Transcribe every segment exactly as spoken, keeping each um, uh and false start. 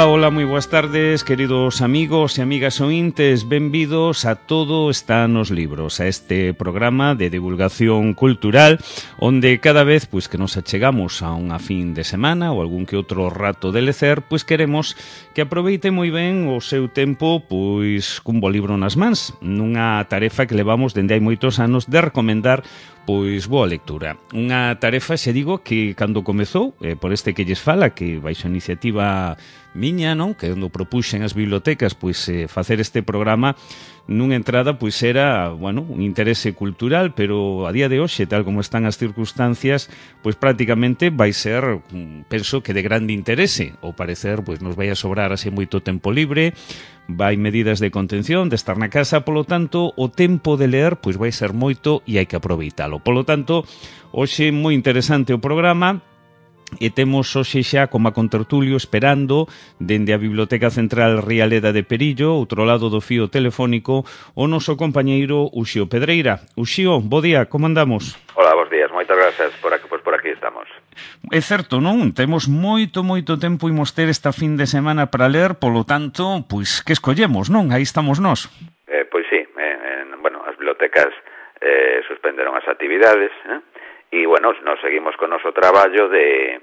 Ola, ola, moi boas tardes, queridos amigos e amigas ointes, benvidos a Todo está nos libros, a este programa de divulgación cultural, onde cada vez pois que nos achegamos a unha fin de semana ou algún que outro rato de lecer, pois queremos que aproveite moi ben o seu tempo pois cun bo libro nas mans, nunha tarefa que levamos dende hai moitos anos de recomendar pois boa lectura. Unha tarefa, se digo, que cando comezou, eh, por este que lles fala, que baixo a iniciativa miña, non? Que cando propuxen as bibliotecas pois eh, facer este programa, nunha entrada pois era, bueno, un interese cultural, pero a día de hoxe, tal como están as circunstancias, pois prácticamente vai ser, penso que de grande interese. Ao parecer, pois nos vai a sobrar así moito tempo libre, vai medidas de contención, de estar na casa, polo tanto, o tempo de ler pois vai ser moito e hai que aproveitalo. Polo tanto, hoxe moi interesante o programa. E temos hoxe xa como a contertulio esperando dende a Biblioteca Central Rialeda de Perillo, outro lado do fío telefónico, o noso compañeiro Uxío Pedreira. Uxío, bo día, como andamos? Hola, bons días, moitas gracias, por aquí, pues por aquí estamos. É certo, non? Temos moito, moito tempo imos ter esta fin de semana para ler, polo tanto, pois, que escollemos, non? Aí estamos nós. Eh, pois sí, eh, en, bueno, as bibliotecas eh, suspenderon as actividades, eh? E, bueno, nos seguimos con o noso traballo de,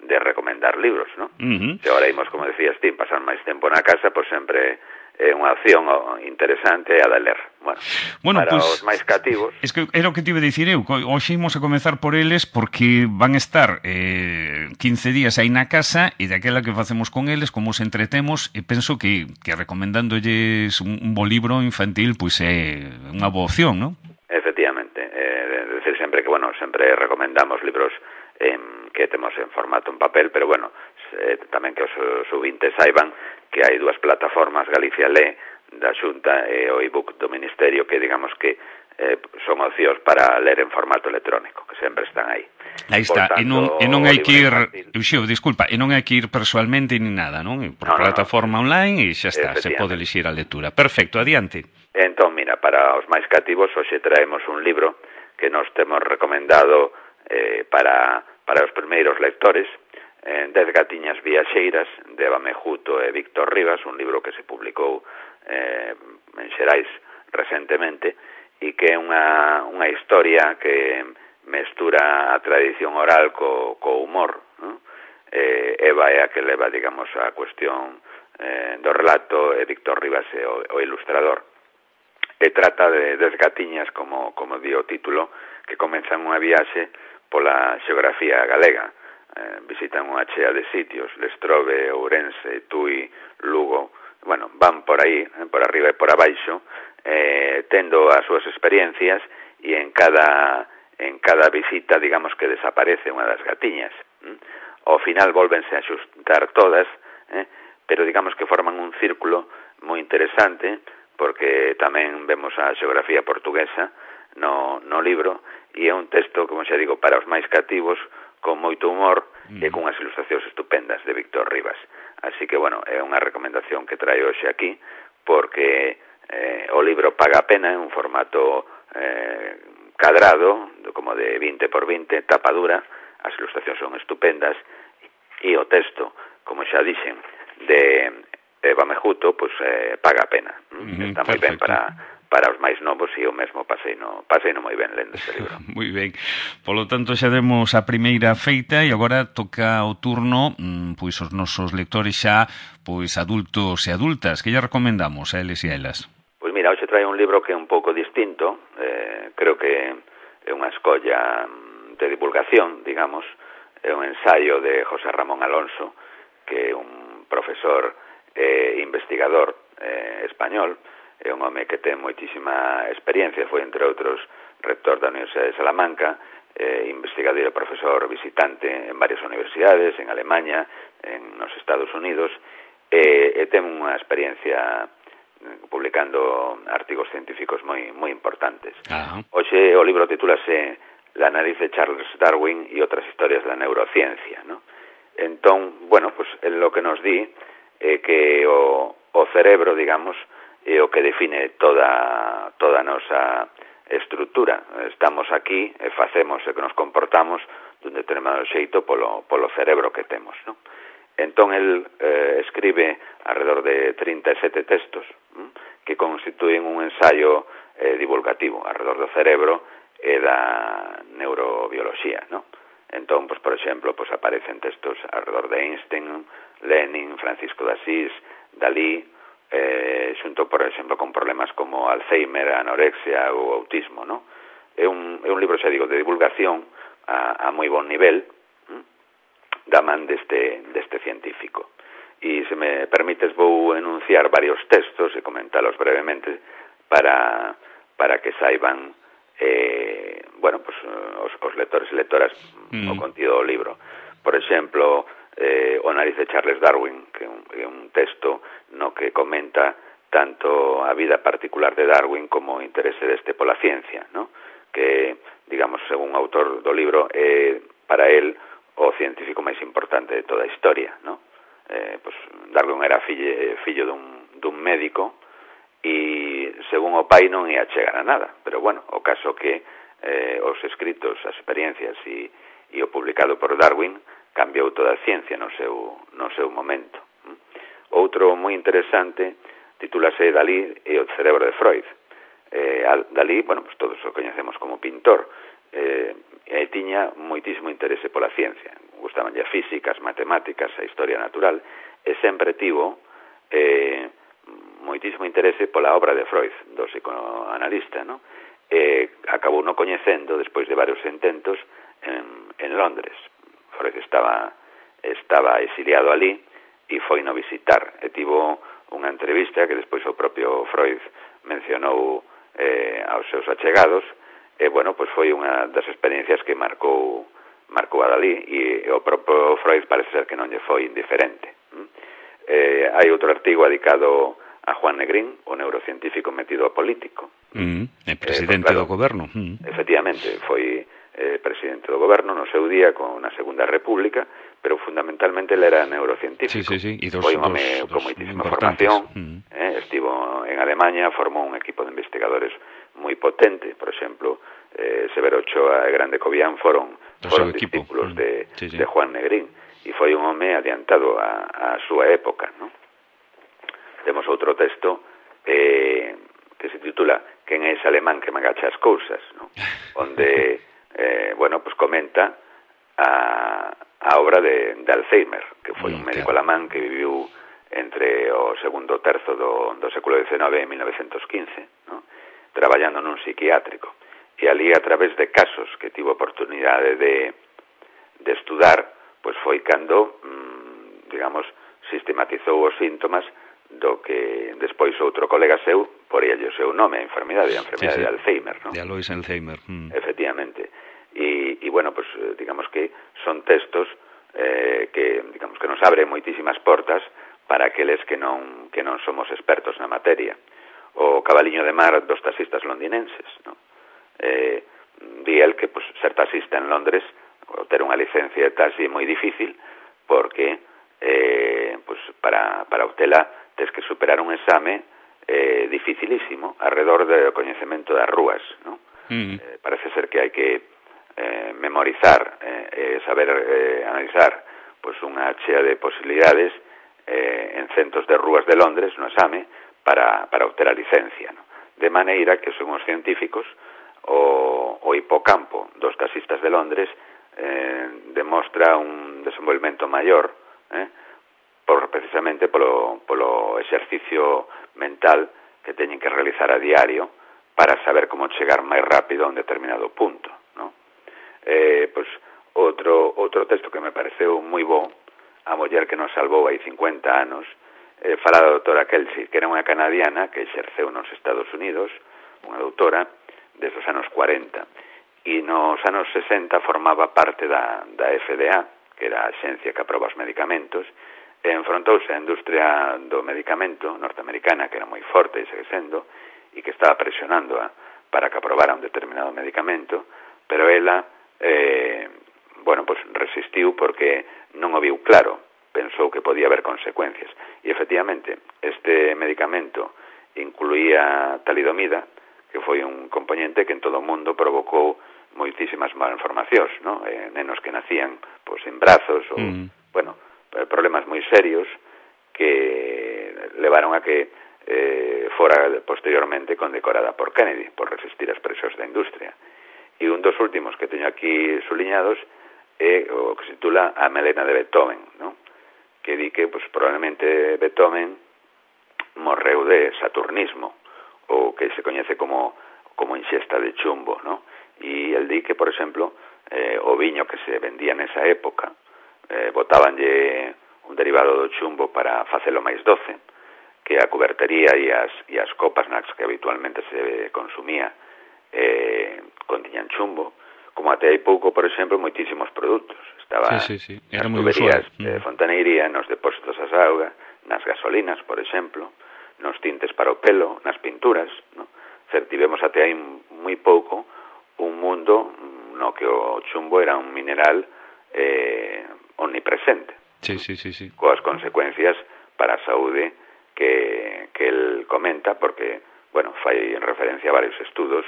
de recomendar libros, ¿no? Uh-huh. Se agora imos, como decías ti, pasar máis tempo na casa, pois sempre é unha opción interesante a de ler. Bueno, bueno para pues, os máis cativos... Es que era o que te iba a dicir eu, hoxe imos a comezar por eles porque van estar eh, quince días aí na casa e daquela que facemos con eles, como os entretemos, e penso que, que recomendándolles un, un bo libro infantil, pois é unha boa opción, non? Efectivamente, eh, decir sempre que, bueno, sempre recomendamos libros eh, que temos en formato en papel, pero, bueno, eh, tamén que os subintes saiban que hai dúas plataformas, Galicia Lé, da Xunta, e o ebook do Ministerio, que, digamos que eh, son opcións para ler en formato electrónico, que sempre están aí. Aí está, tanto, e non, e non hai que ir, Uxío, disculpa, e non hai que ir personalmente ni nada, non? Por no, plataforma no, no. online e xa está, se pode elixir a lectura. Perfecto, adiante. Entón, mira, para os máis cativos, hoxe traemos un libro que nos temos recomendado eh, para, para os primeiros lectores, eh, Dez gatiñas viaxeiras, de Eva Mejuto e Víctor Rivas, un libro que se publicou eh, en Xerais recentemente, e que é unha, unha historia que mestura a tradición oral co, co humor, ¿no? eh, Eva é a que leva, digamos, a cuestión eh, do relato, e Víctor Rivas é o, o ilustrador. E trata de dez gatiñas, como, como di o título, que comenzan unha viaxe pola xeografía galega. Eh, visitan unha chea de sitios, Lestrobe, Ourense, Tui, Lugo. Bueno, van por aí, eh, por arriba e por abaixo, eh, tendo as súas experiencias, e en cada, en cada visita, digamos que desaparece unha das gatiñas. ¿Mm? Ao final volvense a xuntar todas, eh, pero digamos que forman un círculo moi interesante, porque tamén vemos a xeografía portuguesa no, no libro, e é un texto, como xa digo, para os máis cativos, con moito humor mm. e con unhas ilustracións estupendas de Víctor Rivas. Así que, bueno, é unha recomendación que traio hoxe aquí, porque eh, o libro paga a pena, en un formato eh, cadrado, como de vinte por vinte, tapa dura, as ilustracións son estupendas, e o texto, como xa dixen, de Eva Mejuto, pois eh, paga a pena. Uh-huh, está moi ben para, para os máis novos, e o mesmo pasei no, pasei no moi ben lendo este libro. Moi ben. Polo tanto, xa demos a primeira feita e agora toca o turno mmm, pois os nosos lectores xa pois adultos e adultas. Que lle recomendamos a eles e a elas? Pois mira, hoxe trae un libro que é un pouco distinto, eh, creo que é unha escolla de divulgación, digamos, é un ensaio de José Ramón Alonso, que é un profesor eh, investigador eh, español, é un home que ten moitísima experiencia, foi entre outros rector da Universidade de Salamanca, eh, investigador e profesor visitante en varias universidades, en Alemanha, en nos Estados Unidos, e, e ten unha experiencia publicando artigos científicos moi moi importantes. Uh-huh. Hoxe o libro titúlase La nariz de Charles Darwin e outras historias da neurociencia, ¿no? Entón, bueno, pues en lo que nos di é que o, o cerebro, digamos, é o que define toda toda a nosa estrutura. Estamos aquí e facemos e que nos comportamos dun determinado xeito polo, polo cerebro que temos, ¿no? Entón, el eh, escribe alrededor de trinta e sete textos hm, que constituyen un ensayo eh, divulgativo alrededor do cerebro e da neurobioloxía, ¿no? Entón, pues, por exemplo, pues, aparecen textos alrededor de Einstein, Lenin, Francisco de Asís, Dalí, eh, xunto, por exemplo, con problemas como Alzheimer, anorexia ou autismo, ¿no? É un, é un libro, xa digo, de divulgación a, a moi bon nivel, hm, da man deste, deste científico. E, se me permites, vou enunciar varios textos e comentalos brevemente para, para que saiban eh, bueno, pues, os, os lectores e lectoras mm. o contido do libro. Por exemplo, eh, O nariz de Charles Darwin, que é un, é un texto no que comenta tanto a vida particular de Darwin como o interese deste pola ciencia, ¿no? Que, digamos, según o autor do libro, é para él o científico máis importante de toda a historia, ¿no? Eh, pues, Darwin era fillo, fillo dun, dun médico e, según o pai, non ia chegar a nada. Pero, bueno, o caso que eh, os escritos, as experiencias e, e o publicado por Darwin cambiou toda a ciencia no seu, no seu momento. Outro moi interesante titúlase Dalí e o cerebro de Freud. Eh, Dalí, bueno, pues todos o coñecemos como pintor, eh, e tiña moitísimo interese pola ciencia. Gustabanlle a física, as matemáticas, a historia natural, e sempre tivo eh, moitísimo interese pola obra de Freud, do psicoanalista, ¿no? E acabou no coñecendo despois de varios intentos en, en Londres. Freud estaba, estaba exiliado ali e foi no visitar, e tivo unha entrevista que despois o propio Freud mencionou eh, aos seus achegados. E, bueno, pois foi unha das experiencias que marcou marcou a Dalí, e o propio Freud parece ser que non lle foi indiferente. Eh, hai outro artigo dedicado a Juan Negrín, o neurocientífico metido a político. Mm, é presidente eh, pues, claro, do goberno. Mm. Efectivamente, foi eh, presidente do goberno no seu día con a Segunda República, pero fundamentalmente ele era neurocientífico. Sí, sí, sí. E dos, foi un home dos, con dos moitísima formación, mm. eh, estivo en Alemanha, formou un equipo de investigadores moi potente. Por exemplo, eh, Severo Ochoa e Grande Cobián foron, foron discípulos mm. de, sí, sí. de Juan Negrín, e foi un home adiantado a, a súa época, ¿no? Temos outro texto eh, que se titula Quen é ese alemán que me agacha as cousas, ¿no? Onde, eh, bueno, pues comenta a, a obra de, de Alzheimer, que foi mm, un médico claro. alemán que viviu entre o segundo terzo do, do século diecinueve e mil novecientos quince, ¿no? Traballando nun psiquiátrico. E ali, a través de casos que tivo oportunidade de, de estudar, pois foi cando, mmm, digamos, sistematizou os síntomas do que despois outro colega seu poríalle o seu nome, a enfermidade, a enfermidade sí, sí. de Alzheimer, ¿no? De Alois Alzheimer. Mm. Efectivamente. E, e, bueno, pues, digamos que son textos eh, que, digamos, que nos abren moitísimas portas para aqueles que non, que non somos expertos na materia. O cabaliño de mar dos taxistas londinenses, ¿no? Eh, di el que, pues, ser taxista en Londres, ou ter unha licencia de taxi é moi difícil, porque eh, pues, para, para obtela tes que superar un exame eh, dificilísimo alrededor do coñecemento das rúas, ¿no? Mm. Eh, parece ser que hai que eh, memorizar e eh, saber eh, analizar pues, unha chea de posibilidades eh, en centos de rúas de Londres no exame para, para obter a licencia, ¿no? De maneira que, según os científicos, o, o hipocampo dos taxistas de Londres eh, demostra un desenvolvemento maior, eh, por, precisamente polo, polo exercicio mental que teñen que realizar a diario para saber como chegar máis rápido a un determinado punto, ¿no? Eh, pues, outro, outro texto que me pareceu moi bo, A muller que nos salvou hai cincuenta anos, eh, fala da doutora Kelsey, que era unha canadiana que exerceu nos Estados Unidos, unha doutora, desde os anos cuarenta, e nos anos sesenta formaba parte da, da F D A, que era a axencia que aproba os medicamentos, e enfrontouse á industria do medicamento norteamericana, que era moi forte e segue sendo, e que estaba presionando a, para que aprobara un determinado medicamento, pero ela, eh, bueno, pues resistiu porque non o viu claro, pensou que podía haber consecuencias. E, efectivamente, este medicamento incluía talidomida, que foi un componente que en todo o mundo provocou moitísimas malformacións, ¿no? Eh, nenos que nacían, pois, sin brazos, ou, mm. bueno, problemas moi serios que levaron a que eh, fora posteriormente condecorada por Kennedy por resistir as presións da industria. E un dos últimos que teño aquí suliñados é o que se titula A melena de Beethoven, ¿no? Que di que pues, probablemente Beethoven morreu de saturnismo, o que se coñece como, como inxesta de chumbo, ¿no? E el di que, por exemplo, eh, o viño que se vendía nesa época, eh, botábanlle un derivado do chumbo para facelo máis doce, que a cubertería e as, e as copas nas que habitualmente se consumía eh, contiñan chumbo, como até hai pouco, por exemplo, moitísimos produtos. Estaba sí, sí, sí. Era nas moi tuberías usual. de fontaneiría, nos depósitos das augas, nas gasolinas, por exemplo, nos tintes para o pelo, nas pinturas, ¿no? Cer, tivemos até aí moi pouco un mundo no que o chumbo era un mineral eh, omnipresente. Sí, sí, sí, sí. Coas consecuencias para a saúde que, que el comenta, porque, bueno, fai en referencia a varios estudos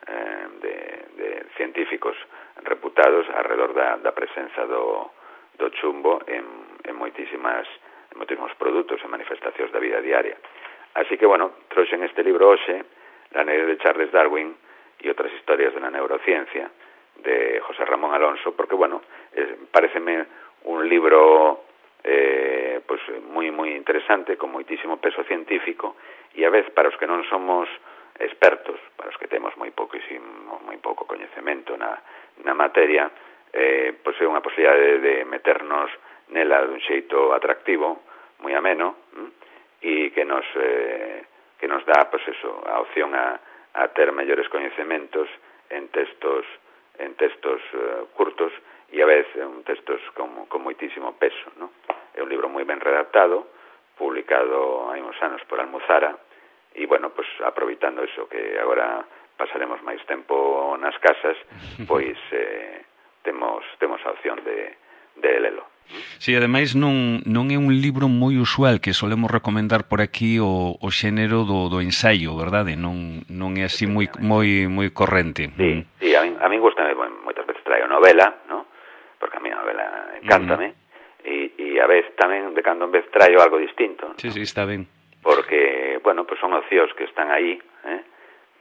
eh, de, de científicos reputados alrededor da, da presenza do, do chumbo en, en moitísimas en moitísimos produtos e manifestacións da vida diaria. Así que, bueno, trouxen este libro hoxe, La neve de Charles Darwin e outras historias de la neurociencia, de José Ramón Alonso, porque, bueno, eh, pareceme un libro eh, pues moi moi interesante, con moitísimo peso científico, e a vez para os que non somos expertos, para os que temos moi pouquísimo, moi pouco coñecemento na, na materia, eh, pois é unha posibilidade de meternos nela dun xeito atractivo, moi ameno, hm? E que nos eh, que nos dá, pois eso, a opción a, a ter mellores coñecementos en textos en textos uh, curtos e a vez en textos con, con moitísimo peso, ¿no? É un libro moi ben redactado, publicado hai uns anos por Almuzara, e, bueno, pues aproveitando eso, que agora pasaremos máis tempo nas casas, pois eh, temos, temos a opción de, de lelo. Si, sí, ademais non, non é un libro moi usual que solemos recomendar por aquí o, o xénero do, do ensaio, verdade? Non, non é así moi moi moi corrente. Sí, sí, a min, a min gusta, bueno, moitas veces traio novela, ¿no? Porque a mí a novela encántame, uh-huh. e, e a vez tamén de cando en vez traio algo distinto, ¿no? Sí, sí, está ben. Porque, bueno, pues son opcións que están aí, eh?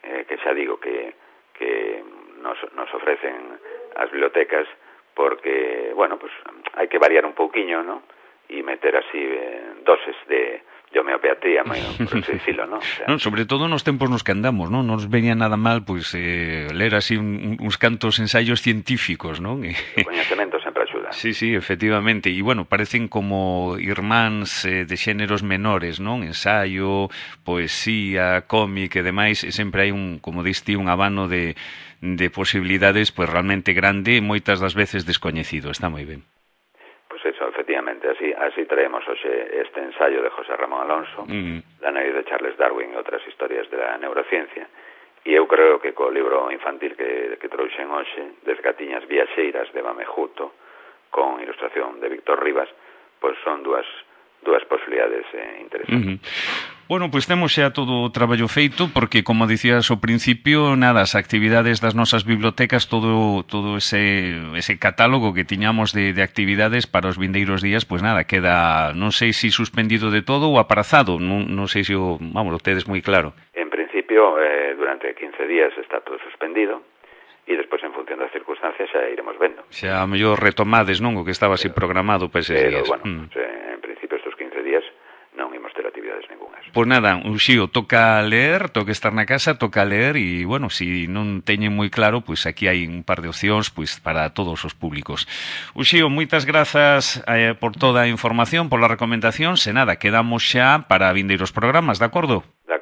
Eh, que xa digo que, que nos, nos ofrecen as bibliotecas, porque, bueno, pues hai que variar un pouquiño, ¿no? E meter así eh, doses de, de homeopatía, por así decirlo, ¿no? O sea, non, sobre todo nos tempos nos que andamos, ¿no? Non nos venía nada mal, pois, pues, eh, ler así un, uns cantos ensaios científicos, ¿no? O coñecemento sempre axuda. Sí, sí, efectivamente. E, bueno, parecen como irmáns eh, de xéneros menores, non? Ensaio, poesía, cómic e demais, e sempre hai un, como diste, un abano de de posibilidades, pues realmente grande e moitas das veces descoñecido. Está moi ben. Pues eso, efectivamente, así así traemos hoxe este ensayo de José Ramón Alonso, mm. La neve de Charles Darwin e outras historias de la neurociencia, e eu creo que co libro infantil que, que trouxen hoxe, Desgatiñas viaxeiras de Bamejuto, con ilustración de Víctor Rivas, pues son dúas dúas posibilidades eh, interesantes. Uh-huh. Bueno, pois pues temos xa todo o traballo feito, porque, como dicías ao principio, nada, as actividades das nosas bibliotecas, todo todo ese ese catálogo que tiñamos de, de actividades para os vindeiros días, pois pues nada, queda, non sei se si suspendido de todo ou aparazado, non, non sei se o, vamos, o tedes moi claro. En principio, eh, durante quince días está todo suspendido, e despois, en función das circunstancias, xa iremos vendo. Xa, a mellor retomades, non, o que estaba así programado para eses pero, días. Bueno, mm. pues, eh, en principio, estos quince días non imos ter actividades ningunhas. Pois nada, Uxío, toca ler, toca estar na casa, toca ler e, bueno, se si non teñen moi claro, pois aquí hai un par de opcións pois para todos os públicos. Uxío, moitas grazas eh, por toda a información, por la recomendación, se nada, quedamos xa para vindeiros programas, de acordo? De